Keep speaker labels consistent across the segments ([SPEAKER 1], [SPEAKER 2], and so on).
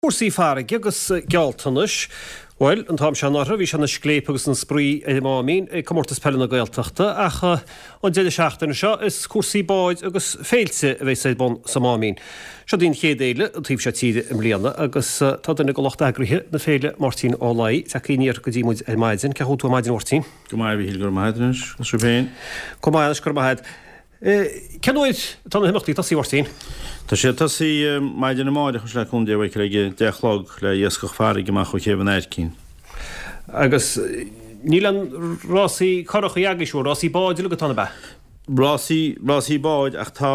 [SPEAKER 1] Cúrsaí farraige agus gealltanais. Bhuel, an t-am seo anuraidh bhí sé ina scléip agus ina spraoi ar an Máimín ag Comórtas Peile na Gaeltachta ach an deireadh seachtaine seo is cúrsaí báid agus féilte a bheas ar bun sa Máimín. Seo í an chéad fhéile an taobh seo tíre i mbliana agus tá duine de lucht eagraithe na féile, Máirtín Ó Laoi, tagtha aniar go dtí muid ar maidin. Cén chaoi a bhfuil tú ar maidin a Mháirtín?
[SPEAKER 2] Go maith a Mhíchíl, go raibh maith agat anois, agus sibh féin?
[SPEAKER 1] Go maith anois, go raibh maith agat. Cén uair atá na himeachtaí ag tosaí, a Mháirtín?
[SPEAKER 2] Tá sé ag tosaí maidin amáireach anois le cúnamh Dé a Mhichíl ag a deich a chlog le iascach farraige amach ó Chéibh an Aircín.
[SPEAKER 1] Agus níl aon rásaí curachaí agaibh, siúr, rásaí báid uilig atá ann, ab ea?
[SPEAKER 2] Rásaí, rásaí báid ach tá,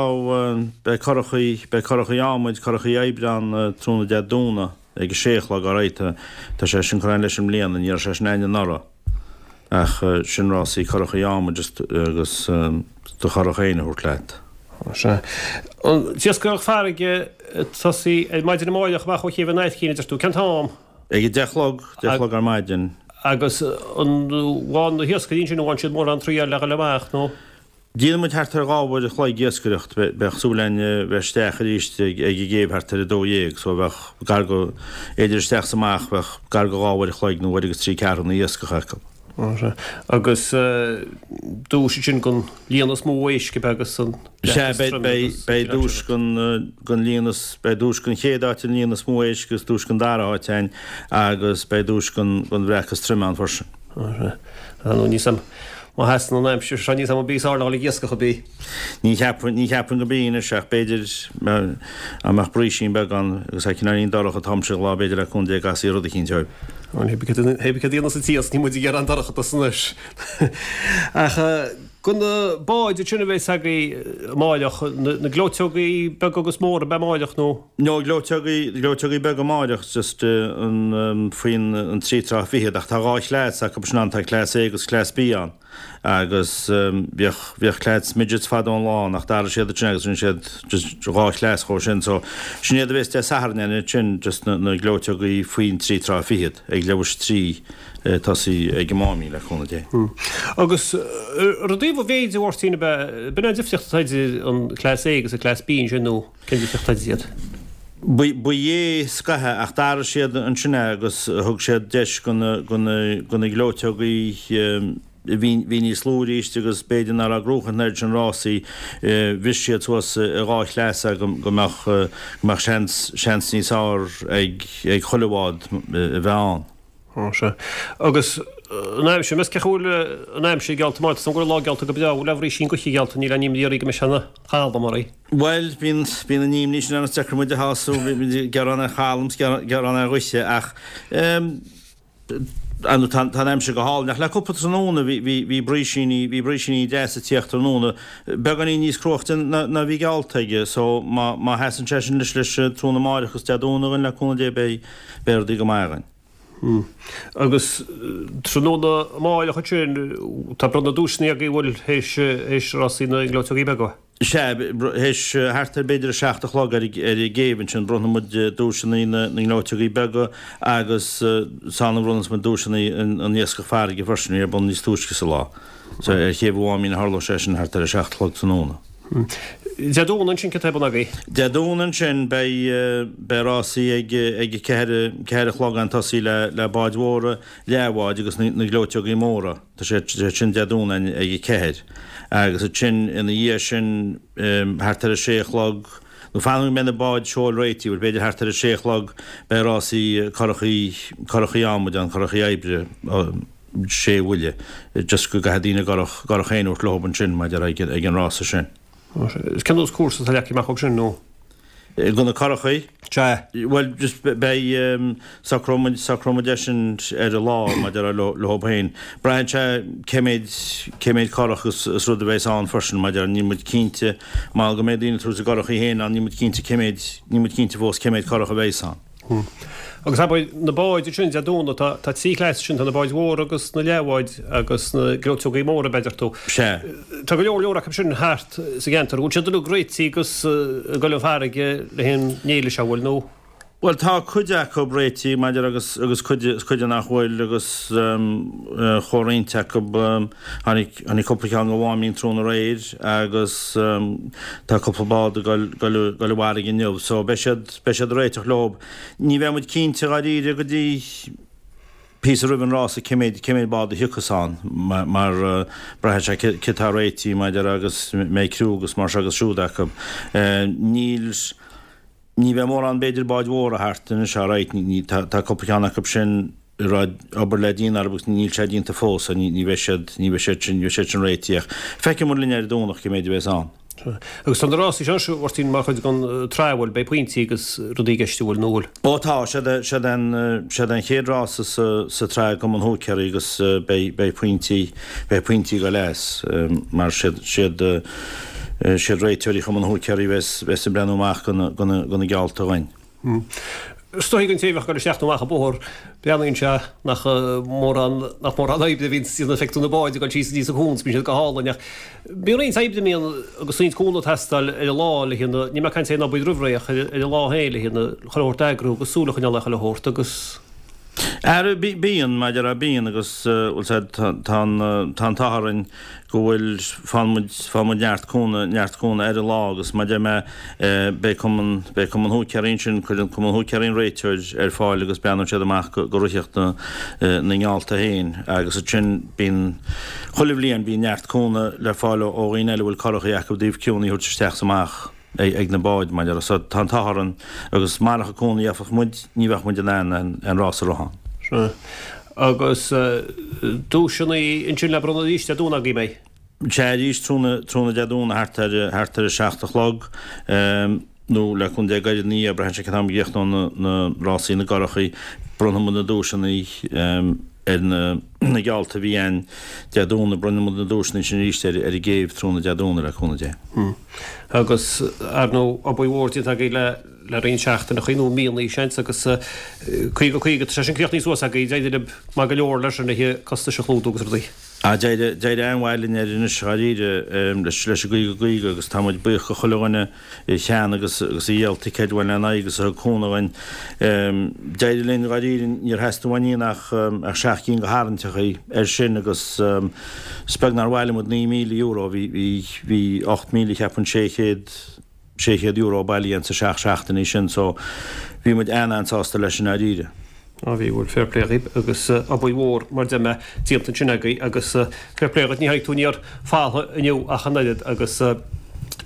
[SPEAKER 2] beidh curachaí, beidh curachaí adhmaid, curachaí oibre ann tráthnóna Dé Domhnaigh ag a sé a chlog alright. Tá sé sin curtha ann leis i mbliana, ní raibh sé sin ann anuraidh. Ach sin rásaí curachaí adhmaid agus do churach féin a thabhairt leat.
[SPEAKER 1] Sea. An t-iascach farraige ag tosaí ar maidin amáireach amach ó Chéibh an Aircín, a deir tú. Cén t-am?
[SPEAKER 2] Ag a deich a chlog, deich a chlog ar maidin.
[SPEAKER 1] Agus an bhfaigheann na hiascairí ansin, an bhfaigheann siad mórán triail le dhul amach nó?
[SPEAKER 2] Déanann muid thart ar 2 uair a chloig iascaireacht. Bheadh súil againn bheith isteach arís ag an gcéibh thart ar 12:00 so bheadh gar go, idir isteach is amach, bheadh gar go 2 uair a chloig nó uair agus trí ceathrúna iascach acu.
[SPEAKER 1] Agus duais ansin don líon is mó éisc ab ea agus an
[SPEAKER 2] Sea, beidh duais don líon is, beidh duais don chéad áit an líon is mó éisc agus duais don dara háit ann agus beidh duais don bhreac is troime ann freisin.
[SPEAKER 1] Nó níl 's a'm má sheasann an aimsir seo níl 's a'm an bíos ard ag iascach ar bith.
[SPEAKER 2] Ní cheapfainn, ní cheapfainn go mbíonn anois ach b'fhéidir dá mbeadh brísín beag ann agus é cineáilín dorcha an t-am sin lá b'fhéidir le cúnamh Dé go gcasfaí rud eicínt
[SPEAKER 1] orthu. Hé bith céard a dhéanas an t-iasc níl muid ag iarraidh an dorchadas anois. Ach go na báid ansin a bheas agaibh amáireach, na gleoiteogaí beaga agus móra ab ea amáireach nó?
[SPEAKER 2] No, gleoiteogaí, gleoiteogaí beaga amáireach, just an, faoin an 3 troigh fichead, ach tá dhá chleas acu sin ann, tá cleas A agus cleas B ann. Agus bhíodh, bhíodh cleas midgets fadó an lá ann ach d'athraigh siad ansin agus rinne siad just dhá chleas dhó sin. So, sin iad a bhéas Dé Sathairn ann ansin, just na, na gleoiteogaí faoin 3 troigh fichead, ag leathuair tar éis 3, tosaí ag an Máimín, le cúnamh Dé.
[SPEAKER 1] Agus ar an dtaobh an mhéid, a Mháirtín, ab ea, b'in an difríocht atá idir an cleas A agus an cleas B ansin nó? Cén difríocht atá idir iad?
[SPEAKER 2] Ba é scaithe ach d'athraigh siad ansin é agus thug siad deis do na gleoiteogaí a bhí níos lú arís agus b'fhéidir nach raibh ag gnóchaint an oiread sin rásaí, bhris siad suas i dhá chleas é go mbeadh seans níos fearr ag chuile bhád a bheith ann.
[SPEAKER 1] Ó, sea. Agus an aimsir, meas cén chaoi a bhfuil an aimsir geallta mar, tá 's agam go bhfuil lá geallta go breá, bhfuil aon bhrísín gaoithe geallta, níl aon imní oraibh go mbeidh sé ina chalm oraibh.
[SPEAKER 2] Bhuel, bíonn, bíonn an imní sin ann, is deacair muid a shású, bíonn ag gearán ar chalm 's gearán ar ghaoithe ach ehm, ar ndóigh tá, tá an aimsir go hálainn ach le cúpla tráthnóna bhí, bhí, bhí brísíní, bhí brísíní deasa ag tíocht tráthnóna, beagáinín níos cruaichte ná, ná bhí geallta aige so má, má sheasann sé sin leis, leis tráthnóna amáireach agus Dé Domhnaigh againn le cúnamh Dé beidh, beidh rudaí go maith againn.
[SPEAKER 1] Agus tráthnóna amáireach ansin, tá bronnadh duaiseanna agaibh an bhfuil théis théis rásaí na ngleoiteogaí beaga?
[SPEAKER 2] Sea, théis thart ar b'fhéidir a 7 a chlog ar ar an gcéibh ansin, bronnfaidh muid duaiseanna na na ngleoiteogaí beaga agus is ann a bhronnfas muid duaiseanna an iascach farraige freisin, a bhí ar bun níos túisce sa lá. So ar Chéibh an Mháimín a tharlóidh sé sin thart ar a 7 a chlog tráthnóna.
[SPEAKER 1] Dé Domhnaigh ansin céard tá ar bun agaibh?
[SPEAKER 2] Dé Domhnaigh ansin beidh beidh rásaí ag ag a ceathair ceathair a chlog ann tosaí le le báid mhóra, leathbháid agus na na gleoiteogaí móra. Tá sé sin Dé Domhnaigh ag a ceathair. Agus ansin ina dhiaidh sin thart ar a sé a chlog nó fan go mbeidh na báid seoil réitithe, bhuel b'fhéidir thart ar a sé a chlog beidh rásaí curachaí curachaí adhmaid ann, curachaí oibre. sé bhuille, just go gcaithfidh daoine a gcurach, gcurach féin a thabhairt leob ansin maidir ag, ag an rása sin.
[SPEAKER 1] Cén nós cúrsa atá leagtha amach acu sin nó?
[SPEAKER 2] Do na curachaí?
[SPEAKER 1] Sea.
[SPEAKER 2] Bhuel, just beidh, socróidh muid, socróidh muid é sin ar an lá maidir le, leob féin. Braitheann sé cé méid, cé méid curach is, is rud a bheas ann freisin maidir, níl muid cinnte, mar go mbeidh daoine ag tabhairt a gcurachaí féin ann, níl muid cinnte cé méid, níl muid cinnte fós cé méid curach a bheas ann.
[SPEAKER 1] Agus abair, na báid ansin, Dé Domhnaigh, tá, tá trí chleas ansin, tá na báid mhóra agus na leathbháid agus na gleoiteogaí móra, b'fhéidir tú.
[SPEAKER 2] Sea.
[SPEAKER 1] Tá go leor leor acu sin thart sa gceantar. Bhfuil siad uilig réitithe agus ag dul an farraige le haghaidh an fhéile seo, bhfuil, nó?
[SPEAKER 2] Bhuel, tá cuid acu réitithe, maidir agus agus cuid cuid nach bhfuil agus chomh-roinnt acu. Tháinig tháinig cúpla ceann go Mháimín tráthnóna aréir agus tá cúpla bád ag goil goil goil i bhfarraige inniu so beidh siad beidh siad ag réiteach leo. Ní bheidh muid cinnte dháiríre go dtí píosa roimh an rása cé méid cé méid bád a thiocfas ann mar mar braitheann sé cé tá réitithe maidir agus mbeidh criú agus mar seo agus siúd acu. Níl. Ní bheidh mórán b'fhéidir báid mhóra thart anois alright ní tá tá cúpla ceann acu sin a raibh obair le déanamh orthu agus níl sé déanta fós so ní ní bheidh siad ní bheidh siad sin ní bheidh siad sin réitithe ach feicfidh muid linn ar an Domhnach cé méid a bheas ann.
[SPEAKER 1] Agus tá na rásaí seo anois Mháirtín mar chuid den tsraith bhfuil beidh pointí agus rudaí i gceist an bhfuil nó bhfuil?
[SPEAKER 2] Ó tá, siad é siad é an siad é an chéad rása sa sa tsraith i gCumann Húicéirí agus beidh beidh pointí beidh pointí ag dul as mar siad siad Siad réiteoirí Chumann Húicéirí a bheas ag breathnú amach do na geallta
[SPEAKER 1] againn. Is dóigh don té a bheadh ag dul isteach nó amach an bóthar, breathnaíonn sé nach mórán nach mórán oibre a bhíonn déanta feictear na báid ag dul síos aníos an cuan, bíonn siad go hálainn ach bíonn roinnt oibre a mbíonn agus roinnt cúnamh ag teastáil ar an lá le haghaidh níl mé ag caint ar an obair roimh ré ach ar an lá féin le haghaidh chuile shórt a eagrú agus súil a choinneáil ar chuile shórt agus
[SPEAKER 2] Ara, bíonn, maidir le bíonn agus bhfuil said tá an tá an t-ádh orainn go bhfuil faigheann muid faigheann muid neart cúnamh neart cúnamh ar an lá agus mar a deir mé beidh cumann beidh cumann húicéirí ansin cuireann cumann húicéirí an réiteoir ar fáil agus breathnaíonn siad amach go go ritheacht na na ngeallta féin agus ansin bíonn chuile bhliain bíonn neart cúnamh le fáil ó ó dhaoine eile a bhfuil curachaí acu i dtaobh criúnna a thabhairt isteach is amach. ag na báid, mar a déarfá. So tá an t-ádh orainn agus marach an cúnamh a gheobhadh muid, ní bheadh muid in ann an rás a rith ann.
[SPEAKER 1] Sea. Agus duaiseanna ansin le bronnadh arís Dé Domhnaigh agaibh, mbeidh?
[SPEAKER 2] Sea, arís tráthnóna Dé Domhnaigh thart ar thart ar a seacht a chlog, nó le cúnamh Dé gairid ina dhiaidh, braitheann sé cén t-am a gcríochnóidh na rásaí na gcurachaí, bronnfaidh muid na duaiseanna ar na geallta a bhí ann Dé Domhnaigh, bronnfaidh muid na duaiseanna sin arís ar an gcéibh tráthnóna Dé Domhnaigh le cúnamh Dé.
[SPEAKER 1] Agus, ar ndóigh, obair mhór déanta agaibh le le roinnt seachtaineachaí nó míonna, seans, agus 50 50, tá sé sin críochnaithe suas agaibh, d'éirigh libh maith go leor leis sin le costais a chlúdú agus rudaí.
[SPEAKER 2] Ah, d'éirigh, d'éirigh an-mhaith linn air anois, dháiríre, leis leis an gcaoga caoga agus tá muid buíoch go chuile dhuine a cheannaigh agus agus a dhíol ticéid uainn lena aghaidh agus a thug cúnamh dhuinn. D'éirigh linn dháiríre, níor theastaigh uainn ach ach seacht gcinn de tharraingteachaí air sin agus is beag nár bhailigh muid €9,000, bhí bhí bhí 8,000 cheapfainn 600 €600 bailithe insa seacht seachtainí sin so bhí muid an-an-sásta leis i ndáiríre.
[SPEAKER 1] Á bhí, bhuel fair play dhaoib agus obair mhór mar deir mé déanta ansin agaibh agus fair play dhuit, ní tháinig tú aniar falltha inniu ach an oiread agus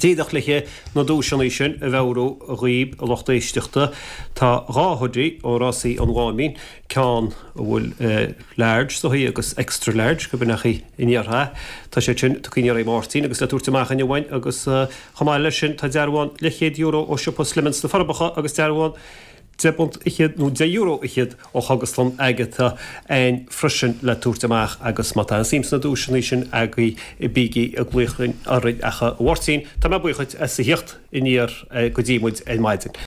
[SPEAKER 1] díreach le na duaiseanna sin a mheabhrú dhaoib a lucht éisteachta, tá dhá hoodie ó Rásaí an Mháimín, ceann a bhfuil large is dóigh agus extra large go b'in in iartha, tá siad sin tugtha aniar ag Máirtín agus le tabhairt amach inniu uainn agus chomh maith leis sin tá dearbhán leathchéad euro ó siopa Slimmins sna Forbacha agus dearbhán £10 fhichead nó €10 fhichead ó Chógaslann Agatha ann freisin le tabhairt amach agus má tá aon suim sna duaiseanna sin agaibh bígí ag glaoch orainn ach a Mháirtín tá mé buíoch duit as a theacht aniar go dtí muid ar maidin.